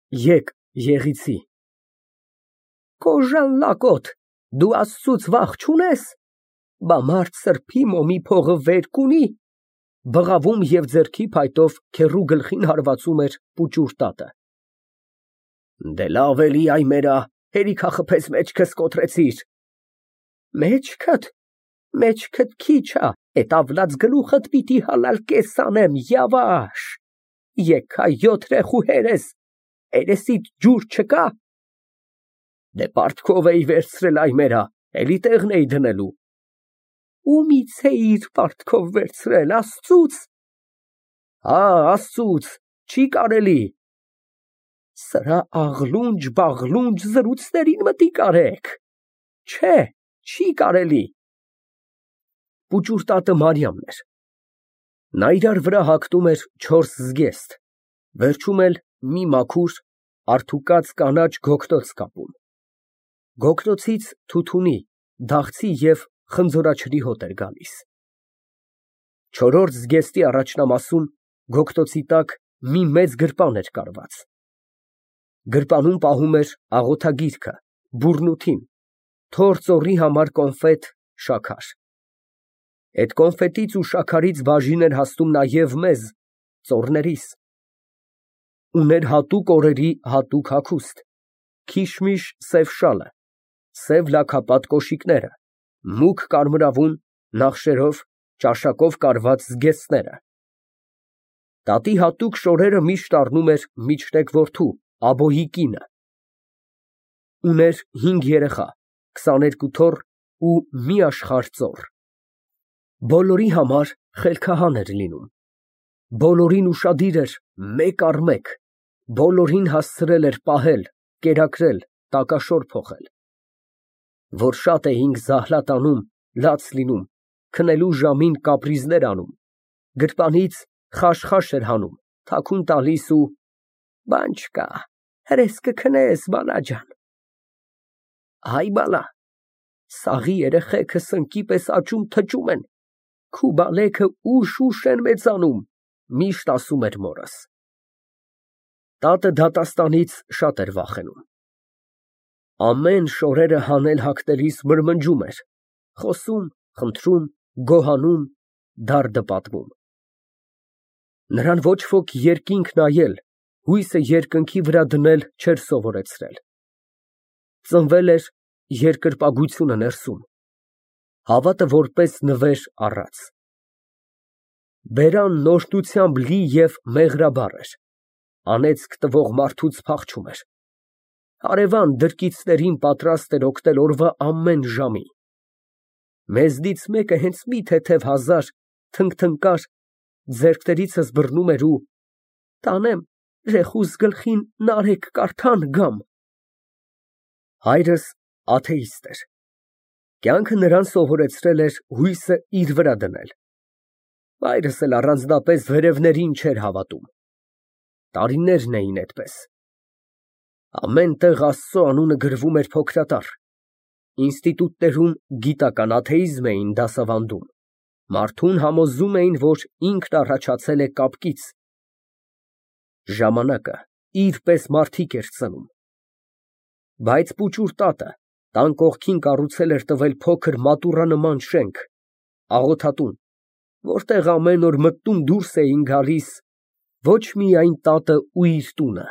Եկ, Եղիցի։ Կոժան լակոտ, դու Աստծուց վախ չունես, բա մարդ սրբի մոմի փողը վեր կունի։ Բղավում և ձեռքի փայտով քեռու գլխին հարվածում էր պուճուր տատը։ Դե լավ էլի այ մերա, հերիքա խփեց մեջքս կոտրեցիր։ Մեջքդ քիչ ա, էտ ավլած գլուխդ պիտի հալալ կես անեմ, յավաշ, եգա 7 ռեխու հերես, երեսիդ ջուր չկա։ Դե պարտքով էի վերցրել այ մերա, էլի տեղն էի դնելու։ Ումից էիր պարտքով վերցրել, Աստծուց։ Հա, Աստծուց, չի կարելի։ Սրա աղլունջ զրույցներին մտիկ արեք։ Չէ, չի կարելի։ Պուճուր տատը Մարիամն էր։ Նա իրար վրա հագնում էր 4 զգեստ, վերջում էլ մի մաքուր, արդուկած կանաչ գոգնոց կապում։ Գոգնոցից թութունի, դաղցի և խնձորաչրի հոտ էր գալիս։ 4-րդ զգեստի առաջնամասում գոգնոցի տակ մի մեծ գրպան էր կարված։ Գրպանում պահում էր աղոթագիրքը, բուրնութին, թոր ծոռի համար կոնֆետ, շաքար։ Էդ կոնֆետից ու շաքարից բաժին էր հասնում նաև մեզ, ծոռներիս։ Ուներ հատուկ օրերի հատուկ հագուստ, քիշմիշ սև շալը, սև լաքապատ կոշիկները, մուգ կարմրավուն, նախշերով, ճաշակով կարված զգեստները։ Տատի հատուկ շորերը միշտ առնում էր միջտեկ որդու, Աբոյի կինը։ Ուներ 5 երեխա, 22 թոռ ու մի աշխարհ ծոռ։ Բոլորի համար խելքահան էր լինում։ Բոլորին ուշադիր էր մեկ առ մեկ, բոլորին հասցրել էր պահել, կերակրել, տակաշոր փոխել։ Որ շատ էինք զահլատ անում, լաց լինում, քնելու ժամին կապրիզներ անում, գրպանից խաշ էր հանում, թաքուն տալիս ու բան չկա, հրես կքնես, բալա ջան։ Հայ բալա, սաղի երեխեքը սնկի պես աճում թճում են, քու բալեքը ուշ են մեծանում, միշտ ասում էր մորս։ Տատը դատաստանից շատ էր վախենում։ Ամեն շորերը հանել հագնելիս մրմնջում էր, խոսում, խնդրում, գոհանում, դարդը պատմում։ Նրան ոչ ոք երկինք նայել, հույսը երկնքի վրա դնել չէր սովորեցրել։ Ծնվել էր երկրպագությունը ներսում, հավատը որպես նվեր առած։ Բերանն օրհնությամբ լի և մեղրաբար էր, անեծք տվող մարդուց փախչում էր։ Հարևան դրկիցներին պատրաստ էր օգնել օրվա ամեն ժամի։ Մեզնից մեկը հենց մի թեթև հազար թնգթնկար ձեռքներիցս բռնում էր ու տանեմ ռեխուս գլխին նարեկ կարդան գամ։ Հայրս աթեիստ էր։ Կյանքը նրան սովորեցրել էր հույսը իր վրա դնել։ Հայրս էլ առանձնապես վերևներին չէր հավատում։ Տարիներն էին այդպես։ Ամեն տեղ Աստծո անունը գրվում էր փոքրատառ։ Ինստիտուտներում գիտական աթեիզմ էին դասավանդում։ Մարդուն համոզում էին, որ ինքն առաջացել է կապկից։ Ժամանակը իր պես մարդիկ էր ծնում։ Բայց պուճուր տատը տան կողքին կառուցել էր տվել փոքր մատուռանման շենք, աղոթատուն, որտեղ ամեն օր մտնում դուրս էին գալիս ոչ միայն տատը ու իր տունը,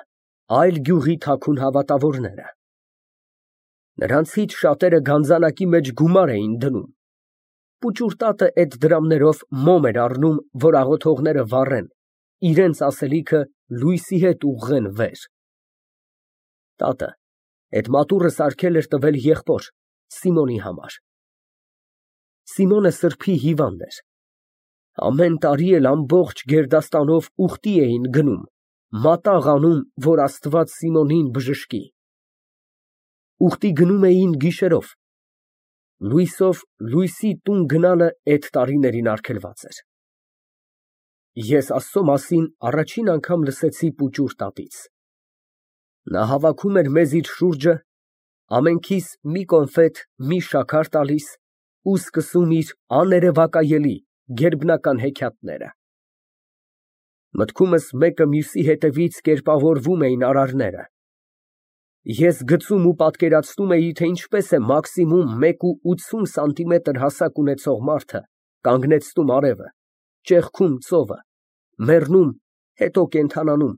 այլ գյուղի թաքուն հավատավորները։ Նրանցից շատերը գանձանակի մեջ գումար էին դնում։ Պուճուր տատը այդ դրամներով մոմ էր առնում, որ աղոթողները վառեն, իրենց ասելիքը լույսի հետ ուղղեն վեր։ Տատը այդ մատուռը սարքել էր տվել եղբոր, Սիմոնի համար։ Սիմոնը սրբի հիվանդ էր։ Ամեն տարի էլ ամբողջ գերդաստանով ուխտի էին գնում, մատաղ անում, որ Աստված Սիմոնին բժշկի։ Ուխտի գնում էին գիշերով։ Լույսով լույսի տուն գնալը այդ տարիներին արգելված էր։ Ես Աստծո մասին առաջին անգամ լսեցի պուճուր տատից։ Նա հավաքում էր մեզ իր շուրջը, ամենքիս մի կոնֆետ, մի շաքար տալիս ու սկսում իր աներևակայելի գերբնական հեքիաթները։ Մտքումս մեկը մյուսի հետևից կերպավորվում էին արարները։ Ես գծում ու պատկերացնում էի, թե ինչպես է մաքսիմում 1.80 սանտիմետր հասակ ունեցող մարդը կանգնեցնում արևը, ճեղքում ծովը, մեռնում, հետո կենդանանում,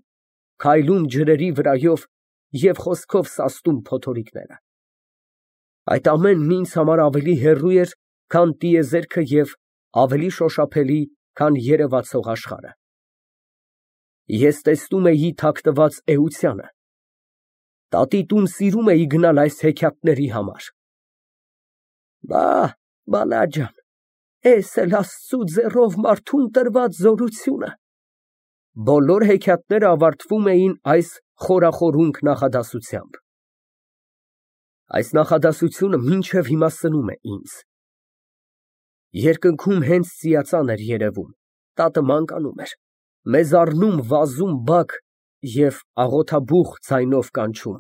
քայլում ջրերի վրայով և խոսքով սաստում փոթորիկները։ Այդ ամենն ինձ համար ավելի հեռու էր, քան տիեզերքը և ավելի շոշափելի, քան երևացող աշխարհը։ Ես տեսնում էի թաքնված էությանը։ Տատի տուն սիրում էի գնալ այս հեքիաթների համար։ Բալա ջան, էս էլ Աստծու ձեռով մարդուն տրված զորությունը։ Բոլոր հեքիաթները ավարտվում էին այս խորախորհունք նախադասությամբ։ Այս նախադասությունը մինչև հիմա սնում է ինձ։ Երկնքում հենց ծիածան էր երևում, տատը մանկանում էր, մեզ առնում վազում բակ և աղոթաբուխ ձայնով կանչում.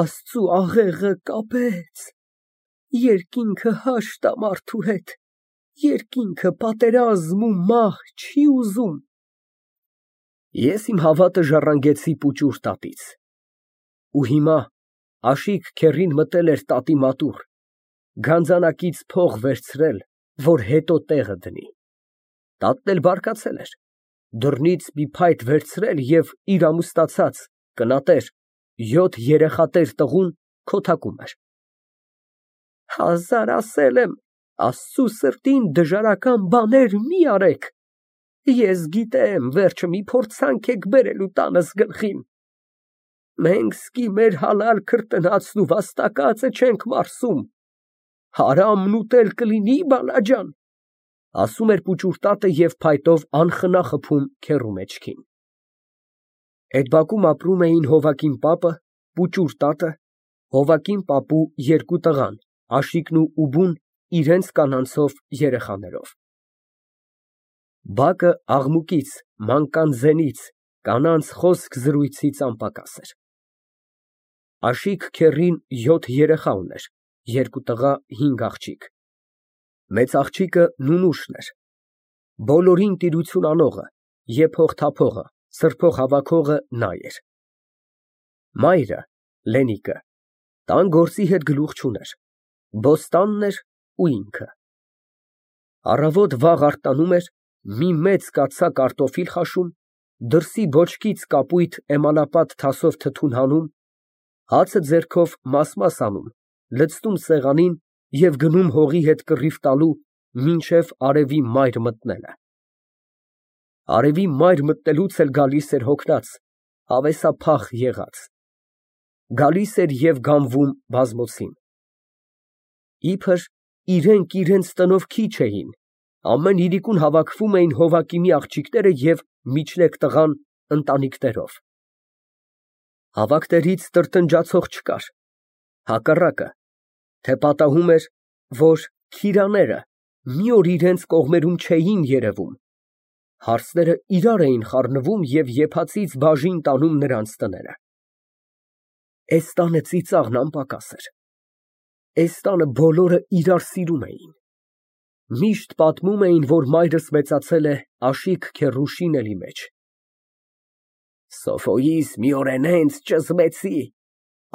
Աստծու աղեղը կապեց, երկինքը հաշտ ա մարդու հետ, երկինքը պատերազմ ու մահ չի ուզում։ Ես իմ հավատը ժառանգեցի պուճուր տատից։ Ու հիմա Աշիկ քեռին մտել էր տատի մատուռ, գանձանակից փող վերցրել, որ հետո տեղը դնի։ Տատն էլ բարկացել էր, դռնից մի փայտ վերցրել և իր ամուսնացած, կնատեր, 7 երեխատեր տղուն քոթակում էր։ Հազար ասել եմ, Աստծու սրտին դժարական բաներ մի արեք։ Ես գիտեմ, վերջը մի փորձանք եք բերելու տանս գլխին։ Մենք սկի մեր հալալ քրտնածն ու վաստակածը չենք մարսում։ Հարամն ուտել կլինի, բալա ջան, ասում էր պուճուր տատը և փայտով անխնա խփում քեռու մեջքին։ Այդ բակում ապրում էին Հովակին պապը, պուճուր տատը, Հովակին պապու 2 տղան, Աշիկն ու Ուբուն իրենց կանանցով երեխաներով։ Բակը աղմուկից, մանկան ձենից, կանանց խոսք֊զրույցից անպակաս էր։ Աշիկ քեռին 7 երեխա ուներ, 2 տղա, 5 աղջիկ։ Մեծ աղջիկը Նունուշն էր, բոլորին տիրություն անողը, եփող թափողը, սրբող հավաքողը նա էր։ Մայրը՝ Լենիկը, տան գործի հետ գլուխ չուներ, բոստանն էր ու ինքը։ Առավոտ վաղ արթնանում էր, մի մեծ կաթսա կարտոֆիլ խաշում, դրսի բոճկից կապույտ էմալապատ թասով թթուն հանում, հացը ձեռքով մաս անում, լցնում սեղանին և գնում հողի հետ կռիվ տալու, մինչև արևի մայր մտնելը։ Արևի մայր մտնելուց էլ գալիս էր հոգնած, հավեսափախ եղած։ Գալիս էր և գանվում բազմոցին։ Իբր իրենք իրենց տնով քիչ էին, ամեն իրիկուն հավաքվում էին Հովակիմի աղջիկները և միջլեկ տղան ընտանիքներով։ Հավաքներից տրտնջացող չկար, հակառակը, թե պատահում էր, որ քիրաները մի օր իրենց կողմերում չէին երևում, հարցները իրար էին խառնվում և եփածից բաժին տանում նրանց տները։ Էս տանը ծիծաղն անպակաս էր։ Էս տանը բոլորը իրար սիրում էին։ Միշտ պատմում էին, որ մայրս մեծացել է Աշիկ քեռու շինելի մեջ։ Սոֆոյիս մի օր հենց ճզմեցի,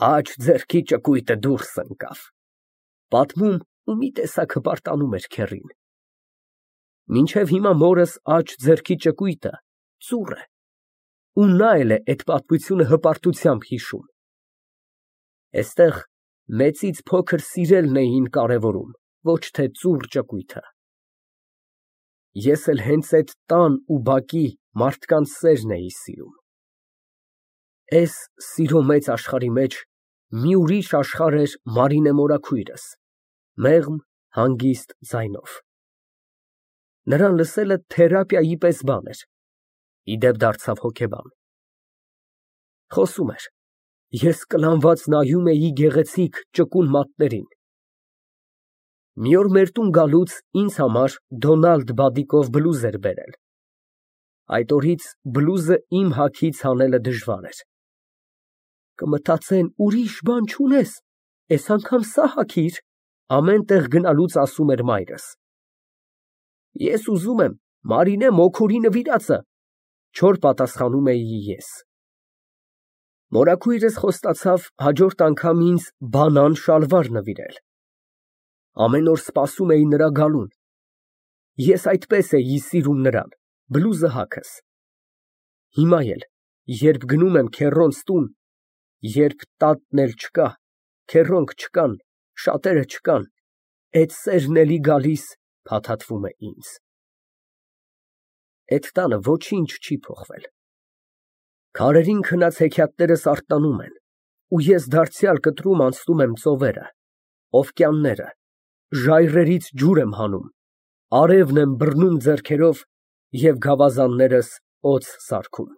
աջ ձեռքի ճկույտը դուրս ընկավ, պատմում ու մի տեսակ հպարտանում էր քեռին։ Մինչև հիմա մորս աջ ձեռքի ճկույտը ծուռ է, ու նա էլ է այդ պատմությունը հպարտությամբ հիշում։ Էստեղ մեծից փոքր սիրելն էին կարևորում, ոչ թե ծուռ ճկույթը։ Ես էլ հենց այդ տան ու բակի մարդկանց սերն էի սիրում։ Էս սիրո մեծ աշխարհի մեջ մի ուրիշ աշխարհ էր Մարինե մորաքույրս, մեղմ, հանգիստ ձայնով։ Նրան լսելը թերապիայի պես բան էր, ի դեպ դարձավ հոգեբան։ Խոսում էր, ես կլանված նայում էի գեղեցիկ ճկուն մատներին։ Մի օր մեր տուն գալուց ինձ համար Դոնալդ բադիկով բլուզ էր բերել։ Այդ օրից բլուզը իմ հագից հանելը դժվար էր։ Կմտածեն ուրիշ բան չունես, էս անգամ սա հագիր, ամեն տեղ գնալուց ասում էր մայրս։ Ես ուզում եմ Մարինե մոքորի նվիրածը, Չոր պատասխանում էի ես։ Մորաքույրս խոստացավ հաջորդ անգամ ինձ բանան շալվար նվիրել։ Ամեն օր սպասում էի նրա գալուն։ Ես այդպես էի սիրում նրան, բլուզը հագս։ Հիմա էլ, երբ գնում եմ քեռոնց տուն, երբ տատն էլ չկա, քեռոնք չկան, շատերը չկան, էդ սերն էլի գալիս փաթաթվում է ինձ։ Էդ տանը ոչինչ չի փոխվել։ Քարերին քնած հեքիաթներս արթնանում են, ու ես դարձյալ կտրում անցնում եմ ծովերը, օվկիանները, ժայռերից ջուր եմ հանում, արևն եմ բռնում ձեռքերով և գավազաններս օձ սարքում։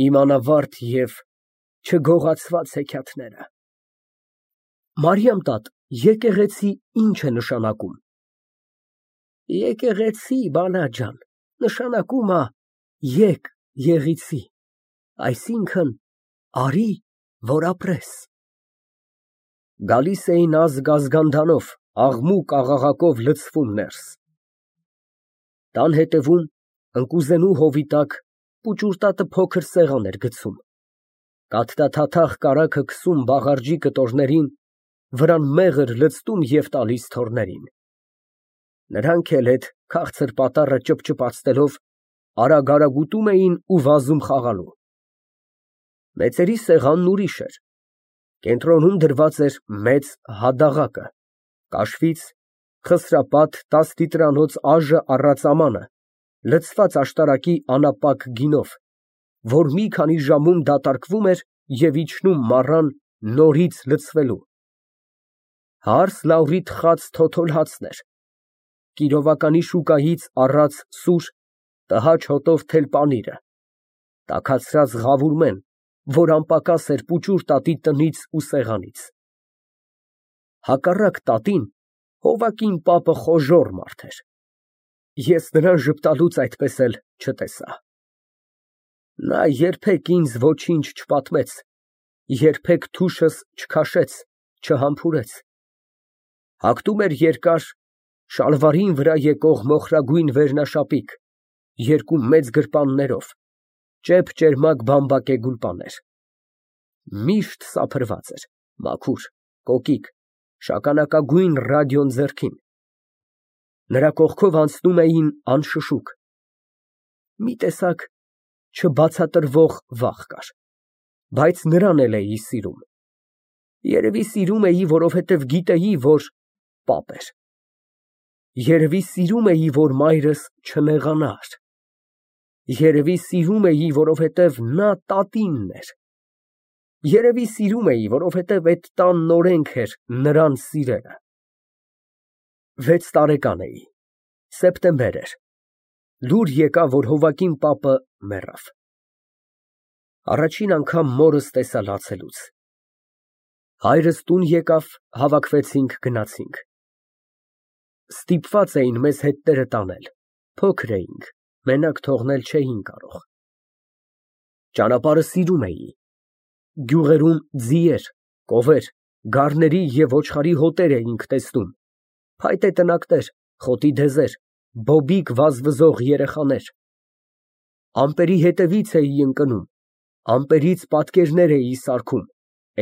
Իմ անավարտ և չգողացված հեքիաթները։ Մարիամ տատ, եկեղեցի ինչ է նշանակում։ Եկեղեցի, բալա ջան, նշանակում ա եկ եղիցի, այսինքն արի, որ ապրես։ Գալիս էին ազգ֊ազգանդանով, աղմուկ֊աղաղակով լցվում ներս։ Տան հետևում, ընկուզենու հովի տակ, պուճուրտատը փոքր սեղան էր գցում, կաթնաթաթախ կարագը քսում բաղարջի կտորներին, վրան մեղր լցնում և տալիս թոռներին։ Նրանք էլ էդ քաղցր պատառը ճփճփացնելով արագ ուտում էին ու վազում խաղալու։ Մեծերի սեղանն ուրիշ էր։ Կենտրոնում դրված էր մեծ հադաղակը, կաշվից, խսրապատ 10 լիտրանոց այժը առած ամանը, լցված աշտարակի անապակ գինով, որ մի քանի ժամում դատարկվում էր և իջնում մառան նորից լցվելու։ Հարս լաուրի թխած թոթոլ հացներ, Կիրովականի շուկայից առած սուր, տհաճ հոտով թել պանիրը, տաքացրած ղավուրմեն, որ անպակաս էր պուճուրտատի տնից ու սեղանից։ Հակառակ տատին, հովակին պապը խոժոռ մարդ էր։ Ես նրան ժպտալուց այդպես էլ չտեսա։ Նա երբեք ինձ ոչինչ չպատմեց, երբեք թուշս չքաշեց, չհամբուրեց։ Հագնում էր երկար, շալվարին վրա եկող մոխրագույն վերնաշապիկ, երկու մեծ գրպաններով, ճեպ֊ճերմակ բամբակե գուլպաներ։ Միշտ սափրված էր, մաքուր, կոկիկ, շագանակագույն ռադիոն ձեռքին։ Նրա կողքով անցնում էին անշշուկ։ Մի տեսակ չբացատրվող վախ կար, բայց նրան էլ էի սիրում։ Երևի սիրում էի, որովհետև գիտեի, որ պապ էր։ Երևի սիրում էի, որ մայրս չնեղանար։ Երևի սիրում էի, որովհետև նա տատինն էր։ Երևի սիրում էի, որովհետև էդ տանն օրենք էր նրան սիրելը։ 6 տարեկան էի, սեպտեմբեր էր, լուր եկավ, որ հովակին պապը մեռավ։ Առաջին անգամ մորս տեսա լացելուց։ Հայրս տուն եկավ, հավաքվեցինք, գնացինք։ Ստիպված էին մեզ հետները տանել, փոքր էինք, մենակ թողնել չէին կարող։ Ճանապարհը սիրում էի։ Գյուղերում ձիեր, կովեր, գառների և ոչխարի հոտեր էինք տեսնում, փայտե տնակներ, խոտի դեզեր, բոբիկ վազվզող երեխաներ։ Ամպերի հետևից էի ընկնում, ամպերից պատկերներ էի սարքում,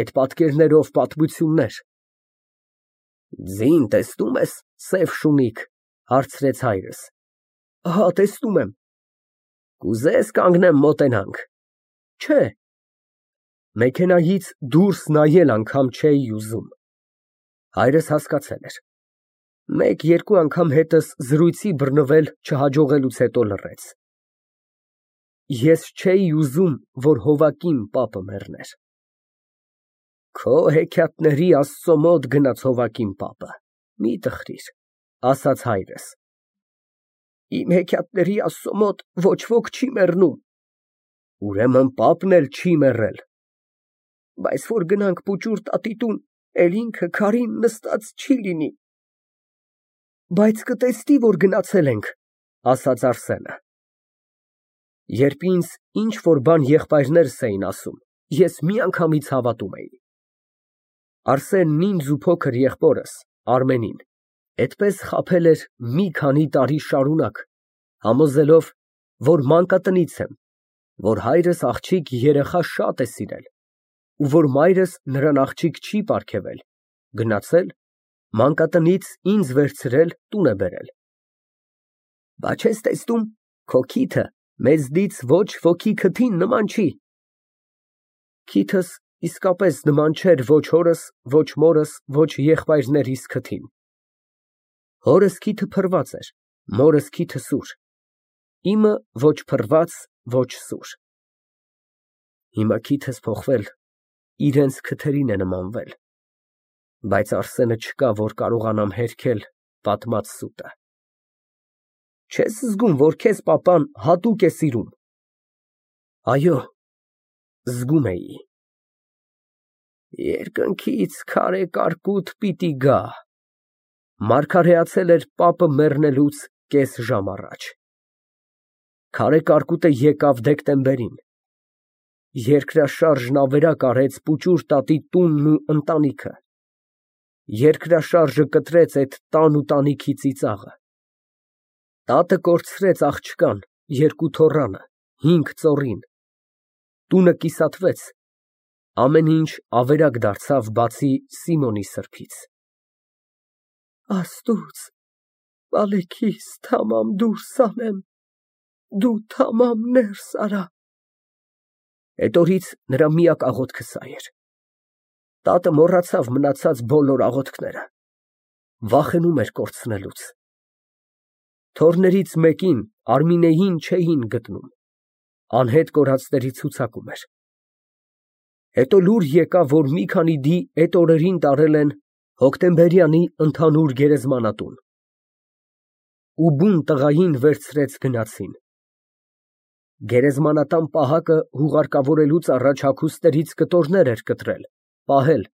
էդ պատկերներով պատմություններ։ Ձին տեսնո՞ւմ ես, սև շունիկ, հարցրեց հայրս։ Ահա, տեսնում եմ։ Կուզե՞ս կանգնեմ մոտենանք։ Չէ։ Մեքենայից դուրս նայել անգամ չէի ուզում։ Հայրս հասկացել էր։ Մեկ֊երկու անգամ հետս զրույցի բռնվել չհաջողելուց հետո լռեց։ Ես չէի ուզում, որ հովակին պապը մեռներ։ Քո հեքիաթների Աստծո մոտ գնաց հովակին պապը, մի տխրիր, ասաց հայրս։ Իմ հեքիաթների Աստծո մոտ ոչ ոք չի մեռնում։ Ուրեմն պապն էլ չի մեռել։ Բայց որ գնանք պուճուրտատի տուն, էլ ինքը քարին նստած չի լինի։ Բայց կտեսնի, որ գնացել ենք, ասաց Արսենը։ Երբ ինձ ինչ֊որ բան եղբայրներս էին ասում, ես միանգամից հավատում էի։ Արսենն ինձ ու փոքր եղբորս, Արմենին, այդպես խաբել էր մի քանի տարի շարունակ, համոզելով, որ մանկատնից եմ, որ հայրս աղջիկ երեխա շատ է սիրել, ու որ մայրս նրան աղջիկ չի պարգևել, գնացել, մանկատնից ինձ վերցրել, տուն է բերել։ Բա չես տեսնում, քո քիթը մեզնից ոչ ոքի քթին նման չի։ Քիթս իսկապես նման չէր ոչ հորս, ոչ մորս, ոչ եղբայրներիս քթին։ Հորս քիթը փռված էր, մորս քիթը սուր, իմը ոչ փռված, ոչ սուր։ Հիմա քիթս փոխվել, իրենց քթերին է նմանվել, բայց Արսենը չկա, որ կարողանամ հերքել պատմած սուտը։ Չես զգում, որ քեզ պապան հատուկ է սիրում։ Այո, զգում էի։ Երկնքից քարե կարկուտ պիտի գա։ Մարգարեացել էր պապը մեռնելուց կես ժամ առաջ։ Քարե կարկուտը եկավ դեկտեմբերին։ Երկրաշարժն ավերակ արեց պուճուր տատի տունն ու ընտանիքը։ Երկրաշարժը կտրեց այդ տան ու տանիքի ծիծաղը։ Տատը կորցրեց աղջկան, երկու թոռանը, 5 ծոռին։ Տունը կիսատվեց, ամեն ինչ ավերակ դարձավ, բացի Սիմոնի սրբից։ Աստուծո, բալեքիս թամամ դուրս անեմ, դու թամամ ներս արա։ Այդ օրից նրա միակ աղոթքը սա էր։ Տատը մոռացավ մնացած բոլոր աղոթքները, վախենում էր կորցնելուց։ Թոռներից մեկին, Արմինեին, չէին գտնում, անհետ կորածների ցուցակում էր։ Հետո լուր եկավ, որ մի քանի դի այդ օրերին տարել են Հոկտեմբերյանի ընդհանուր գերեզմանատուն։ Ու բուն տղային վերցրեց գնացին։ Գերեզմանատան պահակը հուղարկավորելուց առաջ հագուստներից կտորներ էր կտրել, պահել,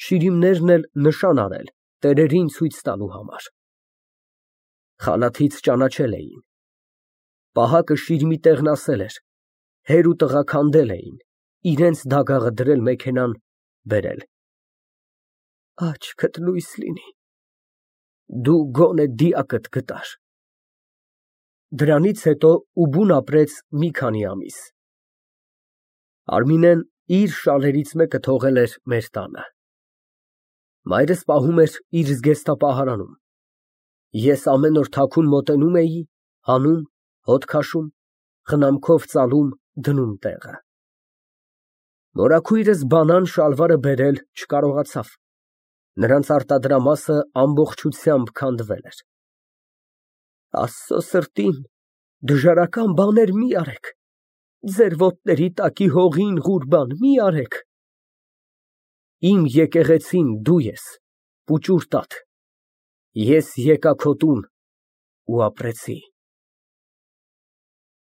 շիրիմներն էլ նշան արել, տերերին ցույց տալու համար։ Խալաթից ճանաչել էին։ Պահակը շիրիմի տեղն ասել էր, հեր ու տղա քանդել էին, իրենց դագաղը դրել մեքենան, բերել։ Աչքդ լույս լինի, դու գոնե դիակդ գտար։ Դրանից հետո Ուբուն ապրեց մի քանի ամիս։ Արմինեն իր շալերից մեկը թողել էր մեր տանը։ Մայրս պահում էր իր զգեստապահարանում։ Ես ամեն օր թաքուն մոտենում էի, հանում, հոտ քաշում, խնամքով ծալում, դնում տեղը։ Մորաքույրս բանան շալվարը բերել չկարողացավ։ Նրանց արտադրամասը ամբողջությամբ քանդվել էր։ Աստծո սրտին, դժարական բաներ մի արեք, ձեր ոտների տակի հողին ղուրբան մի արեք։ Իմ եկեղեցին դու ես, պուճուր տատ, ես եկա քո տուն ու ապրեցի։